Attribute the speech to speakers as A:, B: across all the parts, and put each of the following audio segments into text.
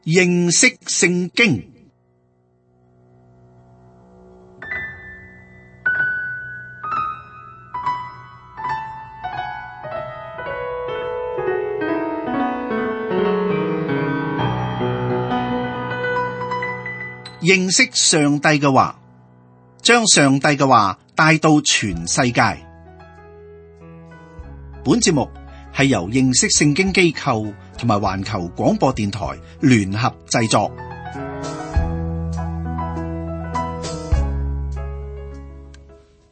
A: 認識聖經。認識上帝嘅話，將上帝嘅話帶到全世界。本節目係由認識聖經機構同埋環球廣播電台聯合製作。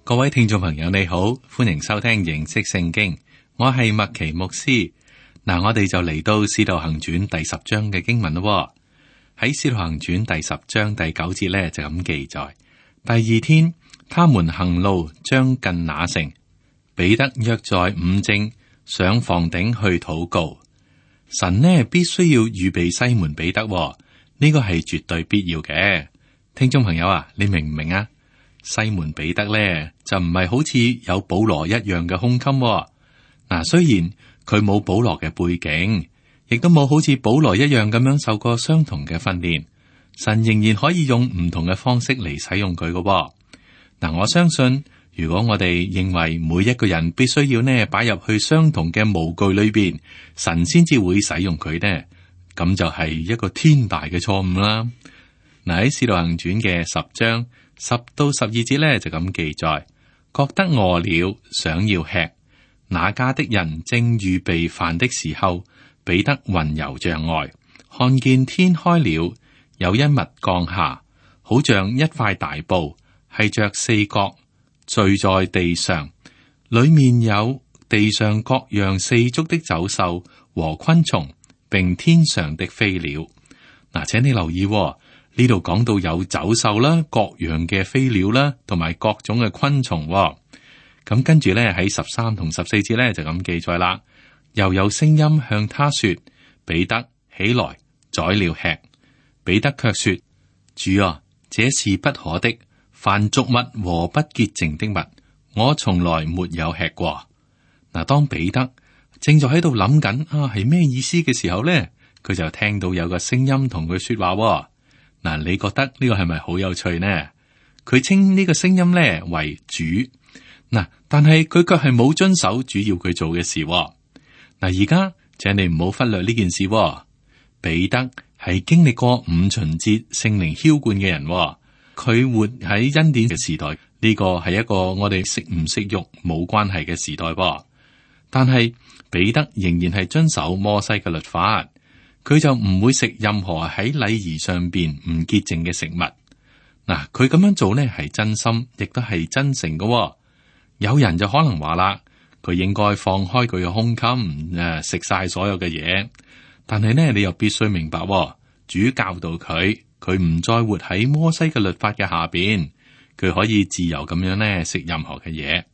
B: 各位聽眾朋友，你好，歡迎收聽認識聖經。我係麥奇牧師。嗱，我哋就嚟到使徒行傳第10章嘅經文咯。喺使徒行傳第10章第9節咧就咁記載：第二天，他們行路將近那城，彼得約在午正上房頂去禱告。神呢必須要預備西門彼得，呢個係絕對必要嘅。聽眾朋友啊，你明唔明啊？西門彼得咧就唔係好似有保羅一樣嘅胸襟。嗱，雖然佢冇保羅嘅背景，亦都冇好似保羅一樣咁樣受過相同嘅訓練，神仍然可以用唔同嘅方式嚟使用佢嘅。嗱，我相信如果我哋認為每一個人必須要呢擺入去相同嘅模具裏邊，神先至會使用佢呢，咁就係一個天大嘅錯誤啦。嗱，喺使徒行傳嘅10章10到12節咧就咁記載：覺得餓了，想要吃，那家的人正預備飯的時候，彼得魂遊象外，看見天開了，有一物降下，好像一塊大布，繫着4角，墜在地上，裏面有地上各樣4足的走獸和昆蟲，並天上的飛鳥。嗱，請你留意呢度講到有走獸啦，各樣嘅飛鳥啦，同埋各種嘅昆蟲。咁跟住咧喺13同14節咧就咁記載啦。又有聲音向他說：彼得起來宰了吃。彼得卻說：主啊，這是不可的，凡俗物和不潔淨的物，我從來沒有吃過。嗱，當彼得正在喺度諗緊係咩意思嘅時候咧，佢就聽到有個聲音同佢說話。嗱，你覺得呢個係咪好有趣呢？佢稱呢個聲音咧為主。嗱，但係佢卻係冇遵守主要佢做嘅事。嗱，而家請你唔好忽略呢件事。彼得係經歷過5旬節聖靈澆灌嘅人，佢活喺恩典嘅時代，呢個係一個我哋食唔食肉冇關係嘅時代。但係彼得仍然係遵守摩西嘅律法，佢就唔會食任何喺禮儀上邊唔潔淨嘅食物。嗱，佢咁樣做呢係真心，亦都係真誠嘅。有人就可能話啦，佢應該放開佢嘅胸襟，食晒所有嘅嘢。但係呢，你又必須明白，主教導佢唔再活喺摩西嘅律法嘅下邊，佢可以自由咁樣呢食任何嘅嘢。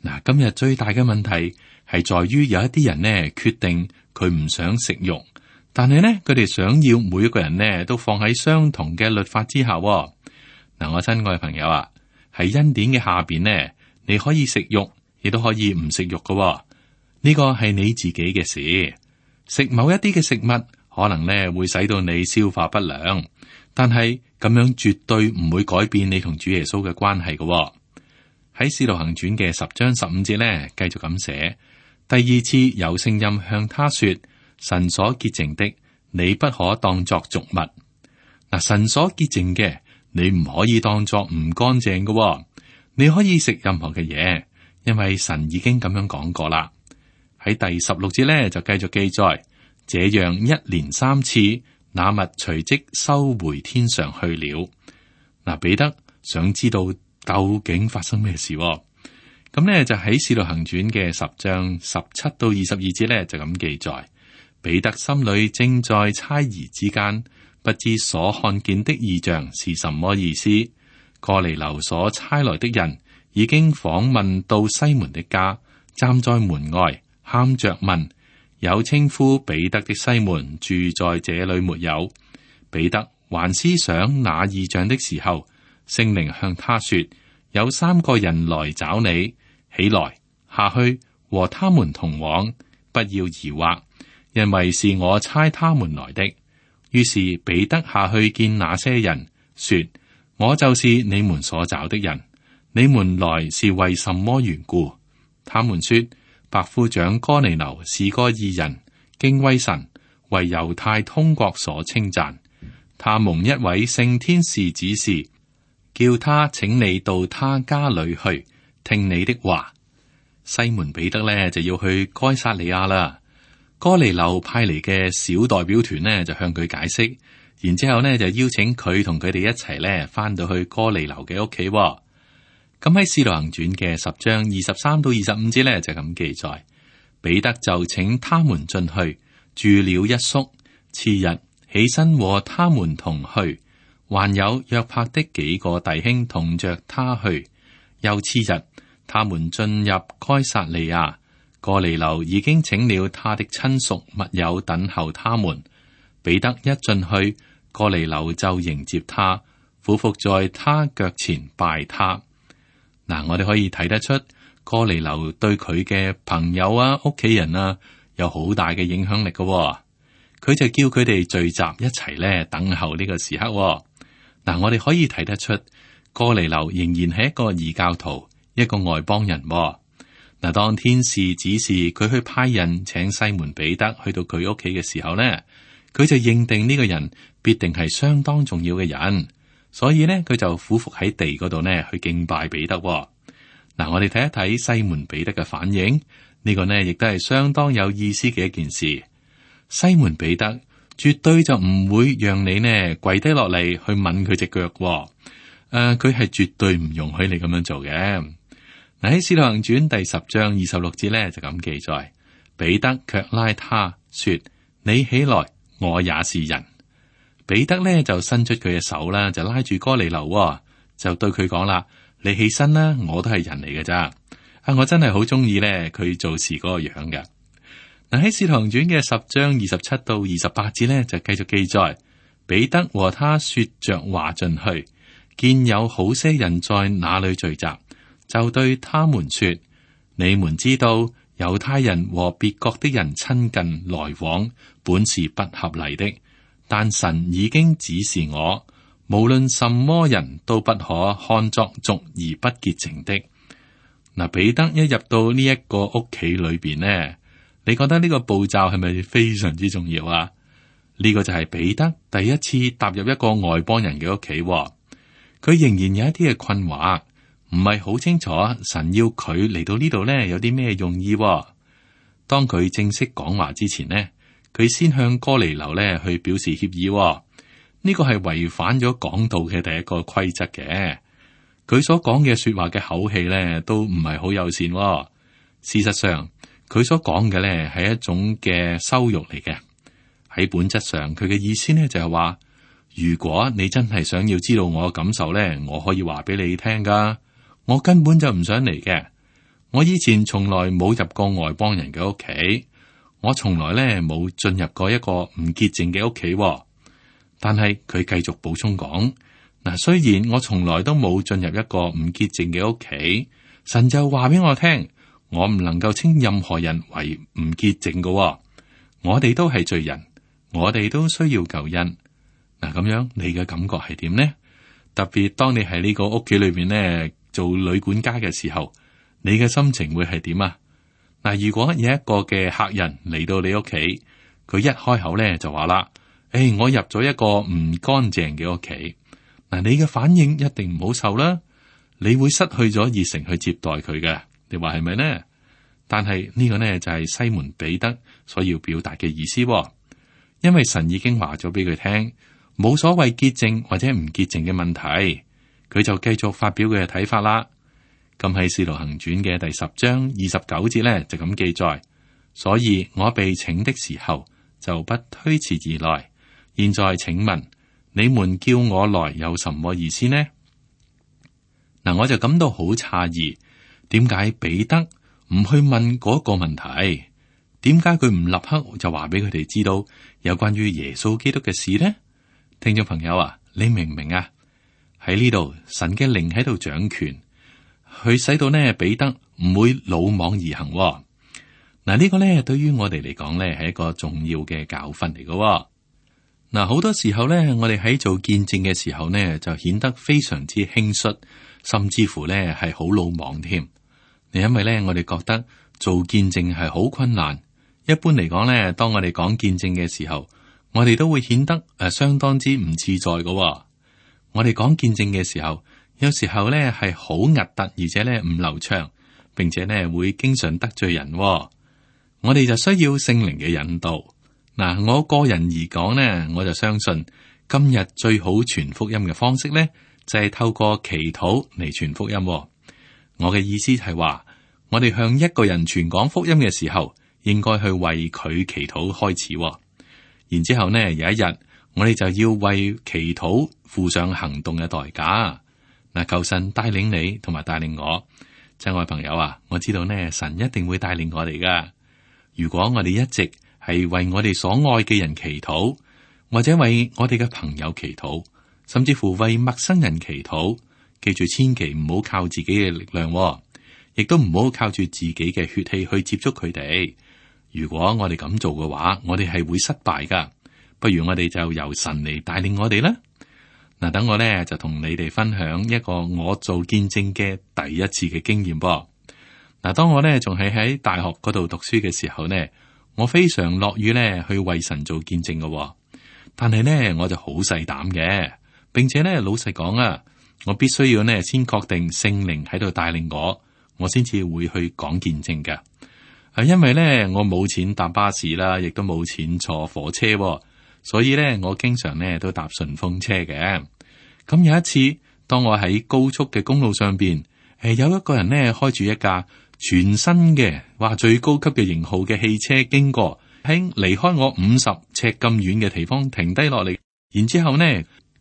B: 嗱，今日最大嘅問題係在於有一啲人呢決定佢唔想食肉，但係呢佢哋想要每一個人呢都放喺相同嘅律法之下。嗱，我親愛嘅朋友啊，喺恩典嘅下邊呢，你可以食肉，亦都可以唔食肉嘅。呢個係你自己嘅事。食某一啲嘅食物，可能呢會使到你消化不良，但係咁樣絕對唔會改變你同主耶穌嘅關係嘅。喺使徒行傳嘅10章15節呢，繼續咁寫：第二次有聲音向他說：神所潔淨的，你不可當作俗物。嗱，神所潔淨嘅，你唔可以當作唔乾淨嘅。你可以食任何嘅嘢，因為神已經咁樣講過啦。喺第16節咧就繼續記載，這樣一連3次，那物隨即收回天上去了。嗱，彼得想知道究竟發生咩事，咁咧就喺使徒行傳嘅10章17到22節咧就咁記載，彼得心裏正在猜疑之間，不知所看見的異象是什麼意思。哥尼流所差來的人已經訪問到西門的家，站在門外喊着問：有稱呼彼得的西門住在這裏沒有？彼得還思想那異象的時候，聖靈向他說：有3個人來找你，起來下去和他們同往，不要疑惑，因為是我差他們來的。於是彼得下去見那些人，說：我就是你們所找的人，你們來是為什麼緣故？他們說：百夫長哥尼流是個義人，敬畏神，為猶太通國所稱讚。他蒙一位聖天使指示，叫他請你到他家裏去，聽你的話。西門彼得呢就要去該撒利亞啦。哥尼流派嚟嘅小代表團呢就向佢解釋，然之後呢就邀請佢同佢哋一齊呢翻到去哥尼流嘅屋企。咁喺《使徒行傳》嘅10章23到25節呢就咁記載，彼得就請他們進去住了一宿，次日起身和他們同去，還有約帕的幾個弟兄同着他去。又次日，他們進入該撒利亞，哥尼流已經請了他的親屬密友等候他們。彼得一進去，哥尼流就迎接他，俯伏在他腳前拜他。嗱，我哋可以睇得出哥尼流對佢嘅朋友啊、屋企人啊有好大嘅影響力嘅。佢就叫佢哋聚集一齊咧，等候呢個時刻。嗱，我哋可以睇得出哥尼流仍然係一個異教徒，一個外邦人。嗱，當天使指示佢去派人請西門彼得去到佢屋企嘅時候呢，佢就認定呢個人必定係相當重要嘅人。所以呢，佢就俯伏喺地嗰度呢去敬拜彼得。嗱，我哋睇一睇西門彼得嘅反應，呢個呢亦都係相當有意思嘅一件事。西門彼得絕對就唔會讓你呢跪低落嚟去吻佢隻腳。佢係絕對唔容許你咁樣做嘅。嗱，喺《使徒行傳》第10章26節呢就咁記載，彼得卻拉他說：你起來，我也是人。彼得呢就伸出佢嘅手啦，就拉住哥尼流，就對佢講啦：你起身啦，我都係人嚟嘅咋。我真係好中意呢佢做事嗰個樣嘅。嗱，喺《使徒行傳》嘅10章27到28節呢，就繼續記載，彼得和他說着話進去，見有好些人在那裏聚集，就對他們說：你們知道猶太人和別國的人親近來往，本是不合理的。但神已經指示我，無論什麼人都不可看作俗而不潔淨的。嗱，彼得一入到呢一個屋企裏邊呢，你覺得呢個步驟係咪非常之重要啊？呢個就係彼得第一次踏入一個外邦人嘅屋企，佢仍然有一啲嘅困惑，唔係好清楚神要佢嚟到呢度呢有啲咩用意。當佢正式講話之前呢，佢先向哥尼流呢去表示歉意。呢個係違反咗講道嘅第一個規則嘅。佢所講嘅說話嘅口氣呢都唔係好友善。事實上，佢所講嘅呢係一種嘅羞辱嚟嘅。喺本質上，佢嘅意思呢就係話，如果你真係想要知道我嘅感受呢，我可以話俾你聽噶。我根本就唔想嚟嘅。我以前從來冇入過外邦人嘅屋企，我從來呢冇進入過一個唔潔淨嘅屋企。但係佢繼續補充講，嗱，雖然我從來都冇進入一個唔潔淨嘅屋企，神就話俾我聽，我唔能夠稱任何人為唔潔淨嘅。我哋都係罪人，我哋都需要救恩。嗱，咁樣你嘅感覺係點呢？特別當你喺呢個屋企裏邊呢做女管家嘅時候，你嘅心情會係點啊？嗱，如果有一個嘅客人嚟到你屋企，佢一開口咧就話啦：我入咗一個唔乾淨嘅屋企。嗱，你嘅反應一定唔好受啦，你會失去咗熱誠去接待佢嘅。你話係咪呢？但係呢個呢就係西門彼得所要表達嘅意思，因為神已經話咗俾佢聽，冇所謂潔淨或者唔潔淨嘅問題，佢就繼續發表佢嘅睇法啦。咁喺《使徒行傳》嘅第10章29節呢，就咁記載，所以我被請的時候就不推辭而來。現在請問你們叫我來有什麼意思呢？嗱，我就感到好詫異，點解彼得唔去問嗰個問題？點解佢唔立刻就話俾佢哋知道有關於耶穌基督嘅事呢？聽眾朋友啊，你明唔明啊？喺呢度，神嘅靈喺度掌權，佢使到呢彼得唔會魯莽而行。嗱，呢個呢對於我哋嚟講呢係一個重要嘅教訓嚟嘅。嗱，好多時候咧，我哋喺做見證嘅時候呢，就顯得非常之輕率，甚至乎咧係好魯莽添。因為咧，我哋覺得做見證係好困難。一般嚟講咧，當我哋講見證嘅時候，我哋都會顯得相當之唔自在嘅。我哋講見證嘅時候，有時候咧係好核突，而且咧唔流暢，並且咧會經常得罪人。我哋就需要聖靈嘅引導。嗱，我個人而講呢，我就相信今日最好傳福音嘅方式呢，就係透過祈禱嚟傳福音。我嘅意思係話，我哋向一個人傳講福音嘅時候，應該去為佢祈禱開始。然之後呢，有一日我哋就要為祈禱付上行動嘅代價。嗱，求神帶領你同埋帶領我，親愛朋友啊，我知道呢，神一定會帶領我哋噶。如果我哋一直係為我哋所愛嘅人祈禱，或者為我哋嘅朋友祈禱，甚至乎為陌生人祈禱，記住千祈唔好靠自己嘅力量，亦都唔好靠住自己嘅血氣去接觸佢哋。如果我哋咁做嘅話，我哋係會失敗噶。不如我哋就由神嚟帶領我哋啦。嗱，等我咧就同你哋分享一個我做見證嘅第一次嘅經驗噃。嗱，當我咧仲係喺大學嗰度讀書嘅時候呢，我非常樂於咧去為神做見證嘅，但係呢，我就好細膽嘅，並且呢，老實講啊，我必須要呢先確定聖靈喺度帶領我先至會去講見證嘅。因為呢，我冇錢搭巴士啦，亦都冇錢坐火車，所以呢，我經常呢都搭順風車嘅。咁有一次，當我喺高速嘅公路上邊，有一個人呢開住一架全新嘅，話最高級嘅型號嘅汽車經過，喺離開我50尺咁遠嘅地方停低落嚟，然之後呢，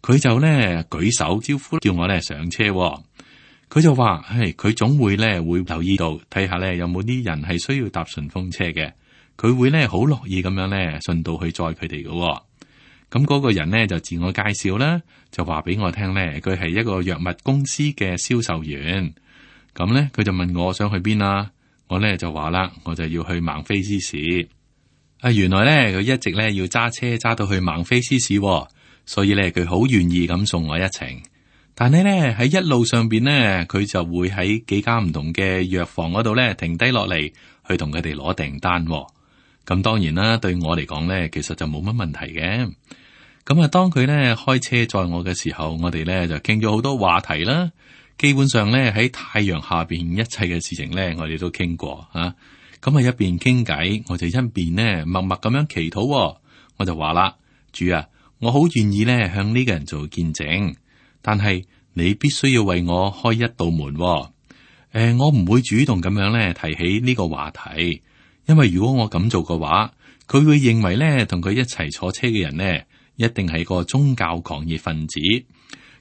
B: 佢就呢舉手招呼，叫我呢上車。佢就話：佢總會呢會留意到，睇下呢有冇啲人係需要搭順風車嘅，佢會呢好樂意咁樣呢順道去載佢哋嘅。咁嗰個人呢就自我介紹啦，就話俾我聽呢，佢係一個藥物公司嘅銷售員。咁咧，佢就問我想去邊啊？我咧就話啦，我就要去孟菲斯市。原來咧佢一直咧要揸車揸到去孟菲斯市，所以咧佢好願意咁送我一程。但係咧喺一路上邊咧，佢就會喺幾間唔同嘅藥房嗰度咧停低落嚟，去同佢哋攞訂單。咁當然啦，對我嚟講咧，其實就冇乜問題嘅。咁啊，當佢咧開車載我嘅時候，我哋咧就傾咗好多話題啦。基本上咧喺太陽下邊一切嘅事情咧，我哋都傾過啊。咁啊一邊傾偈，我就一邊呢默默咁樣祈禱。我就話啦，主啊，我好願意咧向呢個人做見證，但係你必須要為我開一道門。我唔會主動咁樣咧提起呢個話題，因為如果我咁做嘅話，佢會認為咧同佢一齊坐車嘅人呢，一定係個宗教狂熱分子。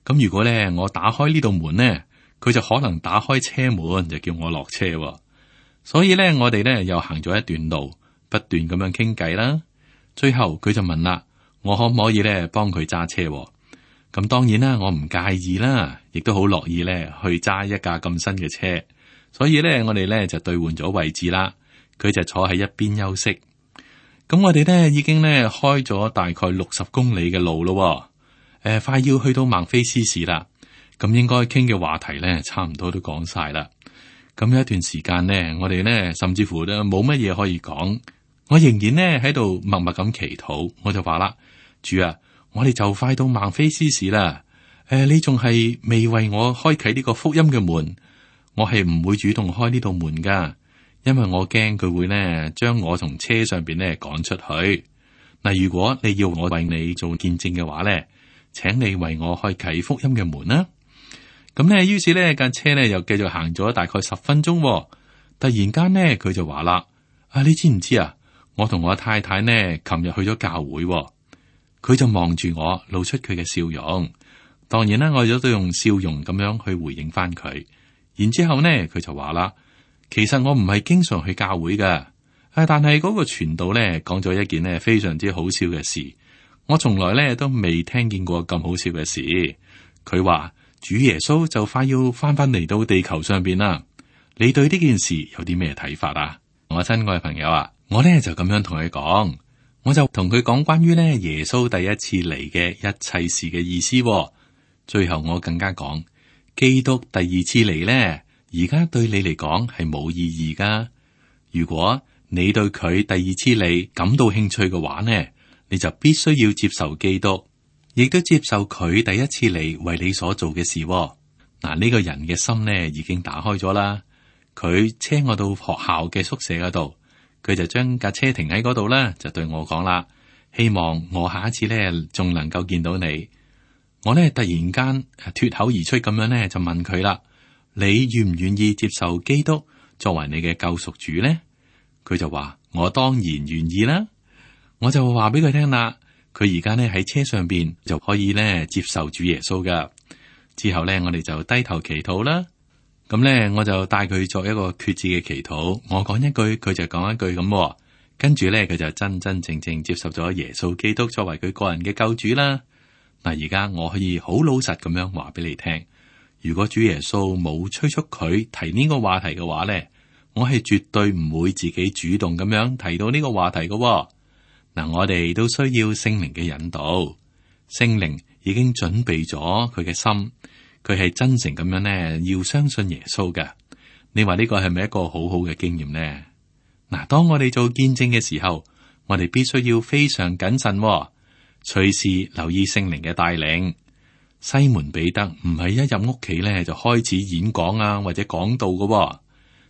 B: 咁如果咧我打開呢道門呢，佢就可能打開車門就叫我落車。所以咧我哋咧又行咗一段路，不斷咁樣傾偈啦。最後佢就問啦，我可唔可以咧幫佢揸車？咁當然啦，我唔介意啦，亦都好樂意咧去揸一架咁新嘅車。所以咧我哋咧就兌換咗位置啦，佢就坐喺一邊休息。咁我哋咧已經咧開咗大概60公里嘅路咯。快要去到孟菲斯市啦，咁應該傾嘅話題咧，差唔多都講晒啦。咁有一段時間呢，我哋呢甚至乎都冇乜嘢可以講，我仍然呢喺度默默咁祈禱。我就話啦，主啊，我哋就快到孟菲斯市啦。你仲係未為我開啟呢個福音嘅門，我係唔會主動開呢道門噶，因為我驚佢會呢將我從車上邊呢趕出去。嗱，如果你要我為你做見證嘅話呢，請你為我開啟福音嘅門啦。咁呢，於是呢架車呢又繼續行咗大概10分鐘。突然間呢，佢就話啦：你知唔知啊？我同我太太呢，琴日去咗教會。佢就望住我，露出佢嘅笑容。當然啦，我亦都用笑容咁樣去回應翻佢。然之後呢，佢就話啦：其實我唔係經常去教會噶，但係嗰個傳道呢講咗一件呢非常之好笑嘅事。我從來咧都未聽見過咁好笑嘅事。佢話主耶穌就快要翻嚟到地球上邊啦。你對呢件事有啲咩睇法啊？我親愛嘅朋友啊，我咧就咁樣同佢講，我就同佢講關於咧耶穌第一次嚟嘅一切事嘅意思。最後我更加講，基督第二次嚟咧，而家對你嚟講係冇意義噶。如果你對佢第二次嚟感到興趣嘅話呢，你就必須要接受基督，亦都接受佢第一次嚟為你所做嘅事。嗱，呢個人嘅心呢已經打開咗啦。佢車我到學校嘅宿舍嗰度，佢就將架車停喺嗰度啦，就對我講啦，希望我下一次呢仲能夠見到你。我呢突然間脫口而出咁樣呢，就問佢啦，你願唔願意接受基督作為你嘅救贖主呢？佢就話我當然願意啦。我就話俾佢聽啦，佢而家呢喺車上邊就可以呢接受主耶穌噶。之後呢，我哋就低頭祈禱啦。咁呢，我就帶佢作一個決志嘅祈禱。我講一句，佢就講一句咁。跟住呢，佢就真真正正接受咗耶穌基督作為佢個人嘅救主啦。嗱，而家我可以好老實咁樣話俾你聽，如果主耶穌冇催促佢提呢個話題嘅話呢，我係絕對唔會自己主動咁樣提到呢個話題嘅。嗱，我哋都需要聖靈嘅引導，聖靈已經準備咗佢嘅心，佢係真誠咁樣呢，要相信耶穌嘅。你話呢個係咪一個好好嘅經驗呢？嗱，當我哋做見證嘅時候，我哋必須要非常謹慎，隨時留意聖靈嘅帶領。西門彼得唔係一入屋企咧就開始演講啊，或者講道嘅。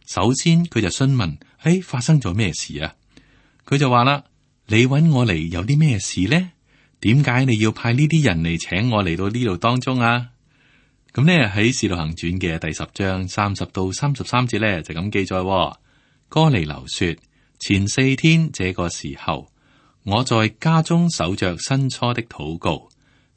B: 首先佢就詢問：發生咗咩事啊？佢就話啦：你揾我嚟有啲咩事呢？點解你要派呢啲人嚟請我嚟到呢度當中啊？咁呢喺《使徒行傳》嘅第10章30到33節咧就咁記載。哥尼流說：前4天這個時候，我在家中守着申初的禱告，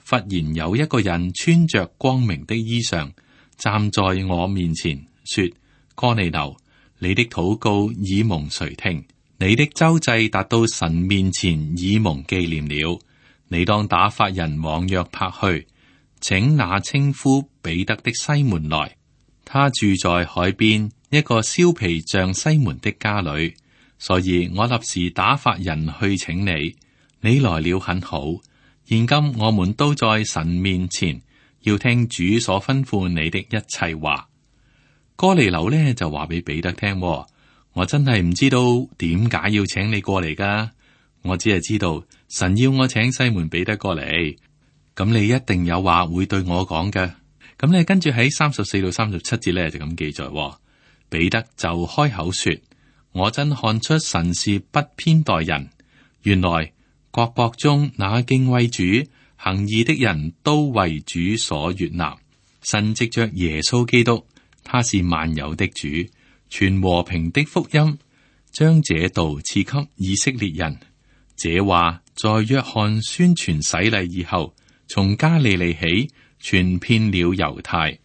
B: 忽然有一個人穿着光明的衣裳站在我面前，說：哥尼流，你的禱告已蒙垂聽，你的周濟達到神面前已蒙紀念了。你當打發人往約帕去，請那稱呼彼得的西門來，他住在海邊一個燒皮匠西門的家裏。所以我立時打發人去請你，你來了很好。現今我們都在神面前，要聽主所吩咐你的一切話。哥尼流呢就話俾彼得聽：我真係唔知道點解要請你過嚟噶，我只係知道神要我請西門彼得過嚟。咁你一定有話會對我講嘅。咁你跟住喺34到37節呢就咁記載，彼得就開口說：我真看出神是不偏待人，原來各國中那敬畏主行義的人都為主所悅納。神藉着耶穌基督，他是萬有的主，傳和平的福音，將這道賜給以色列人。這話在約翰宣傳洗禮以後，從加利利起，傳遍了猶太。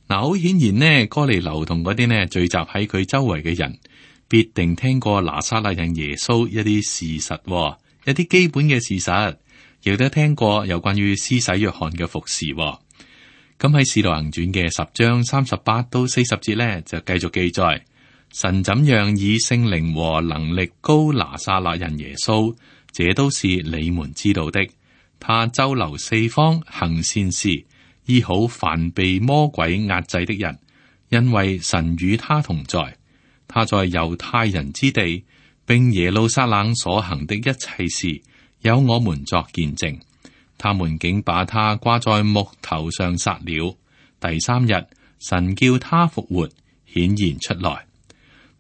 B: 嗱，好顯然呢，哥尼流同嗰啲呢聚集喺佢周圍嘅人，必定聽過拿撒勒人耶穌一啲事實，一啲基本嘅事實，亦都聽過有關於施洗約翰嘅服侍。咁喺使徒行傳嘅10章38到40節呢，就繼續記載神怎樣以聖靈和能力膏拿撒勒人耶穌，這都是你們知道的。他周流四方行善事，醫好凡被魔鬼壓制的人，因為神與他同在。他在猶太人之地並耶路撒冷所行的一切事，有我們作見證。他們竟把他掛在木頭上殺了。第3日，神叫他復活，顯現出來。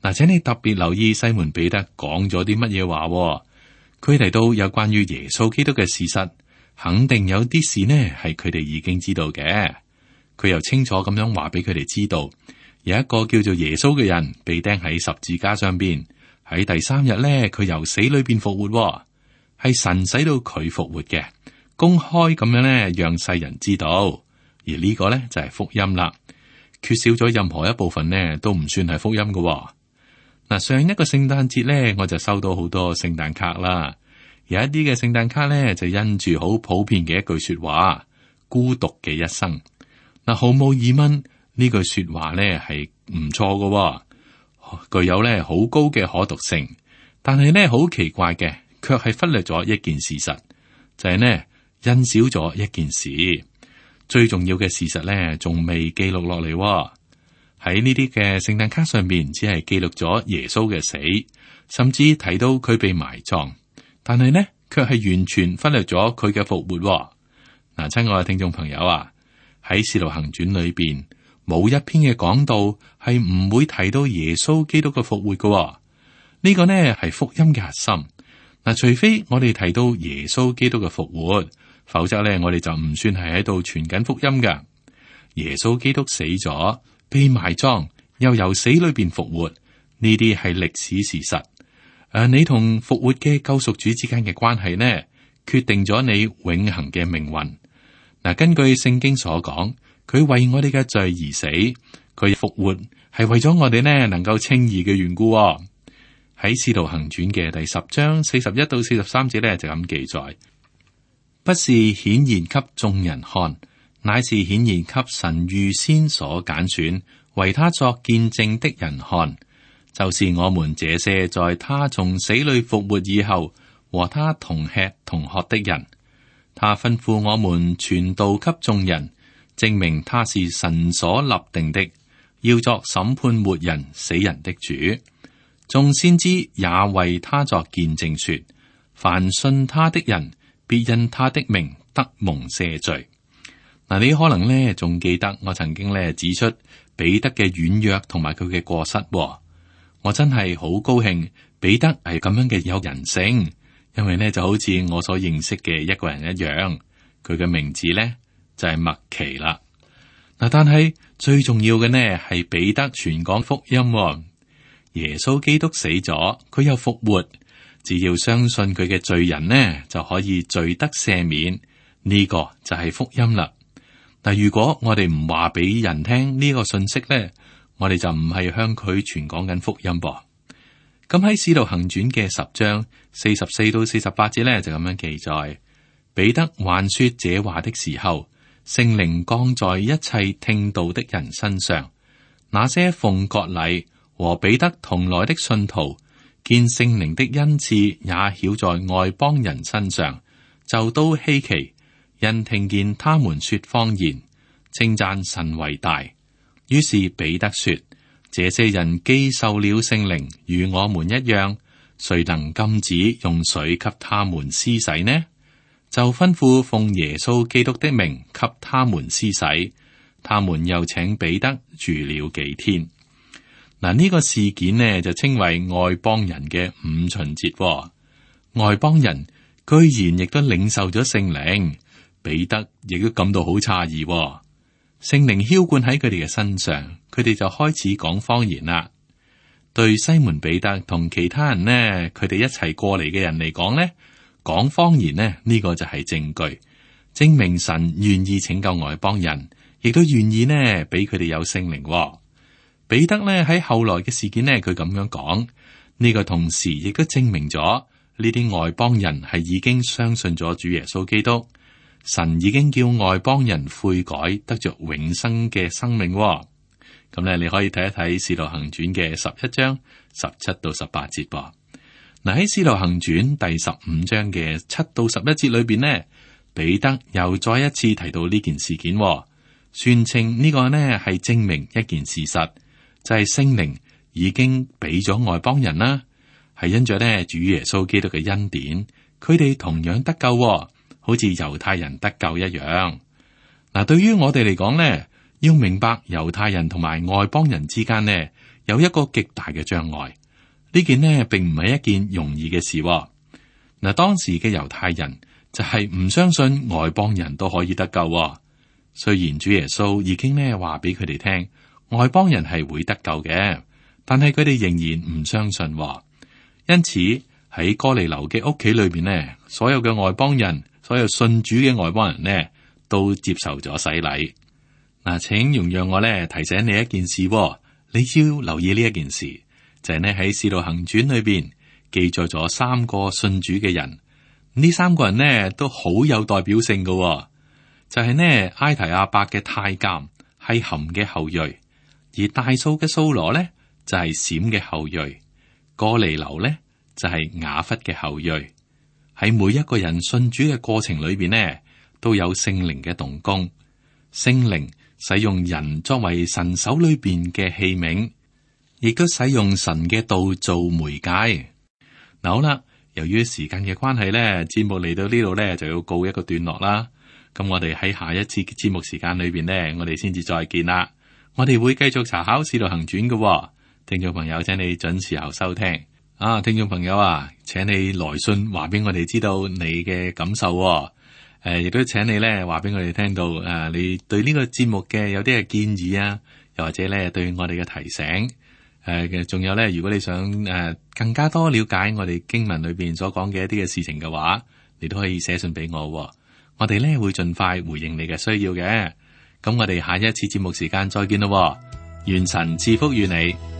B: 嗱，請你特別留意西門彼得講咗啲乜嘢話。佢提到有關於耶穌基督嘅事實，肯定有啲事呢係佢哋已經知道嘅。佢又清楚咁樣話俾佢哋知道，有一個叫做耶穌嘅人被釘喺十字架上邊，喺第3日呢，佢由死裏邊復活，係神使到佢復活嘅，公開咁樣呢，讓世人知道。而呢個呢，就係福音啦，缺少咗任何一部分呢，都唔算係福音嘅。嗱，上一個聖誕節呢，我就收到好多聖誕卡啦，有一啲嘅聖誕卡呢，就印住好普遍嘅一句說話：孤獨嘅一生。嗱，毫無疑問呢句說話呢係唔錯嘅，具有呢好高嘅可讀性。但係呢好奇怪嘅，卻係忽略咗一件事實，就係呢，印少咗一件事，最重要嘅事實呢，仲未記錄落嚟。喺呢啲嘅聖誕卡上面，只係記錄咗耶穌嘅死，甚至提到佢被埋葬，但係呢，卻係完全忽略咗佢嘅復活。嗱，親愛嘅聽眾朋友啊，喺《使徒行傳》裏邊，冇一篇嘅講道係唔會提到耶穌基督嘅復活嘅。呢個呢係福音嘅核心。嗱，除非我哋提到耶穌基督嘅復活，否則呢，我哋就唔算係喺度傳緊福音㗎。耶穌基督死咗，被埋葬，又由死裏邊復活，呢啲係歷史事實。你同復活嘅救贖主之間嘅關係呢，決定咗你永恆嘅命運。嗱，根據聖經所講，佢為我哋嘅罪而死，佢復活係為咗我哋呢能夠稱義嘅緣故。喺《使徒行傳》嘅第10章41到43節呢，就咁記載：不是顯現給眾人看，乃是顯現給神預先所揀選，為他作見證的人看。就是我們這些在他從死裏復活以後，和他同吃同喝的人。他吩咐我們傳道給眾人，證明他是神所立定的，要作審判活人死人的主。眾先知也為他作見證說，凡信他的人，必因他的名得蒙赦罪。嗱，你可能呢仲記得我曾經呢指出彼得嘅軟弱同埋佢嘅過失。我真係好高興彼得係咁樣嘅有人性，因為呢就好似我所認識嘅一個人一樣，佢嘅名字呢就係麥奇啦。嗱，但係最重要嘅呢係彼得傳講福音。耶穌基督死咗，佢又復活，只要相信佢嘅罪人呢，就可以罪得赦免。呢個就係福音啦。但如果我哋唔話俾人聽呢個信息呢，我哋就唔係向佢傳講緊福音噃。咁喺《使徒行傳》嘅10章44到48節呢，就咁樣記載：彼得還說這話的時候，聖靈降在一切聽道的人身上。那些奉割禮和彼得同來的信徒，見聖靈的恩賜也曉在外邦人身上，就都稀奇，因聽見他們說方言，稱讚神為大。於是彼得說：這些人既受了聖靈，與我們一樣，誰能禁止用水給他們施洗呢？就吩咐奉耶穌基督的名給他們施洗。他們又請彼得住了幾天。嗱，呢個事件呢就稱為外邦人嘅五旬節。外邦人居然亦都領受咗聖靈，彼得亦都感到好詫異。聖靈澆灌喺佢哋嘅身上，佢哋就開始講方言啦。對西門彼得同其他人呢，佢哋一齊過嚟嘅人嚟講呢，講方言呢，呢個就係證據，證明神願意拯救外邦人，亦都願意呢俾佢哋有聖靈。彼得呢喺後來嘅事件呢，佢咁樣講，呢個同時亦都證明咗呢啲外邦人係已經相信咗主耶穌基督。神已經叫外邦人悔改，得着永生嘅生命。咁咧，你可以睇一睇《使徒行傳》嘅11章17到18節噃。嗱，喺《使徒行傳》第15章嘅7到11節裏邊呢，彼得又再一次提到呢件事件，宣稱呢個呢係證明一件事實，就係聖靈已經俾咗外邦人啦，係因着呢主耶穌基督嘅恩典，佢哋同樣得救。好似猶太人得救一樣。嗱，對於我哋嚟講呢，要明白猶太人同埋外邦人之間呢，有一個極大嘅障礙。呢件呢，並唔係一件容易嘅事。嗱，當時嘅猶太人就係唔相信外邦人都可以得救。雖然主耶穌已經呢話俾佢哋聽，外邦人係會得救嘅，但係佢哋仍然唔相信。因此喺哥尼流嘅屋企裏邊呢，所有嘅外邦人，所有信主嘅外邦人呢，都接受咗洗禮。嗱，請容讓我呢提醒你一件事，你要留意呢一件事，就係呢喺《使徒行傳》裏邊記載咗3個信主嘅人。呢3個人呢都好有代表性嘅，就係呢埃提阿伯嘅太監係含嘅後裔，而大數嘅掃羅呢就係閃嘅後裔，哥尼流呢就係雅弗嘅後裔。喺每一個人信主嘅過程裏邊呢，都有聖靈嘅動工。聖靈使用人作為神手裏邊嘅器皿，亦都使用神嘅道做媒介。嗱，好啦，由於時間嘅關係呢，節目嚟到呢度呢，就要告一個段落啦。咁我哋喺下一次節目時間裏邊呢，我哋先至再見啦。我哋會繼續查考《使徒行傳》嘅，聽眾朋友，請你準時候收聽。聽眾朋友啊，請你來信話俾我哋知道你嘅感受。亦都請你咧話俾我哋聽到，你對呢個節目嘅有啲嘅建議啊，又或者咧對我哋嘅提醒。仲有咧，如果你想更加多了解我哋經文裏邊所講嘅一啲嘅事情嘅話，你都可以寫信俾我。我哋咧會盡快回應你嘅需要嘅。咁我哋下一次節目時間再見咯。願神賜福於你。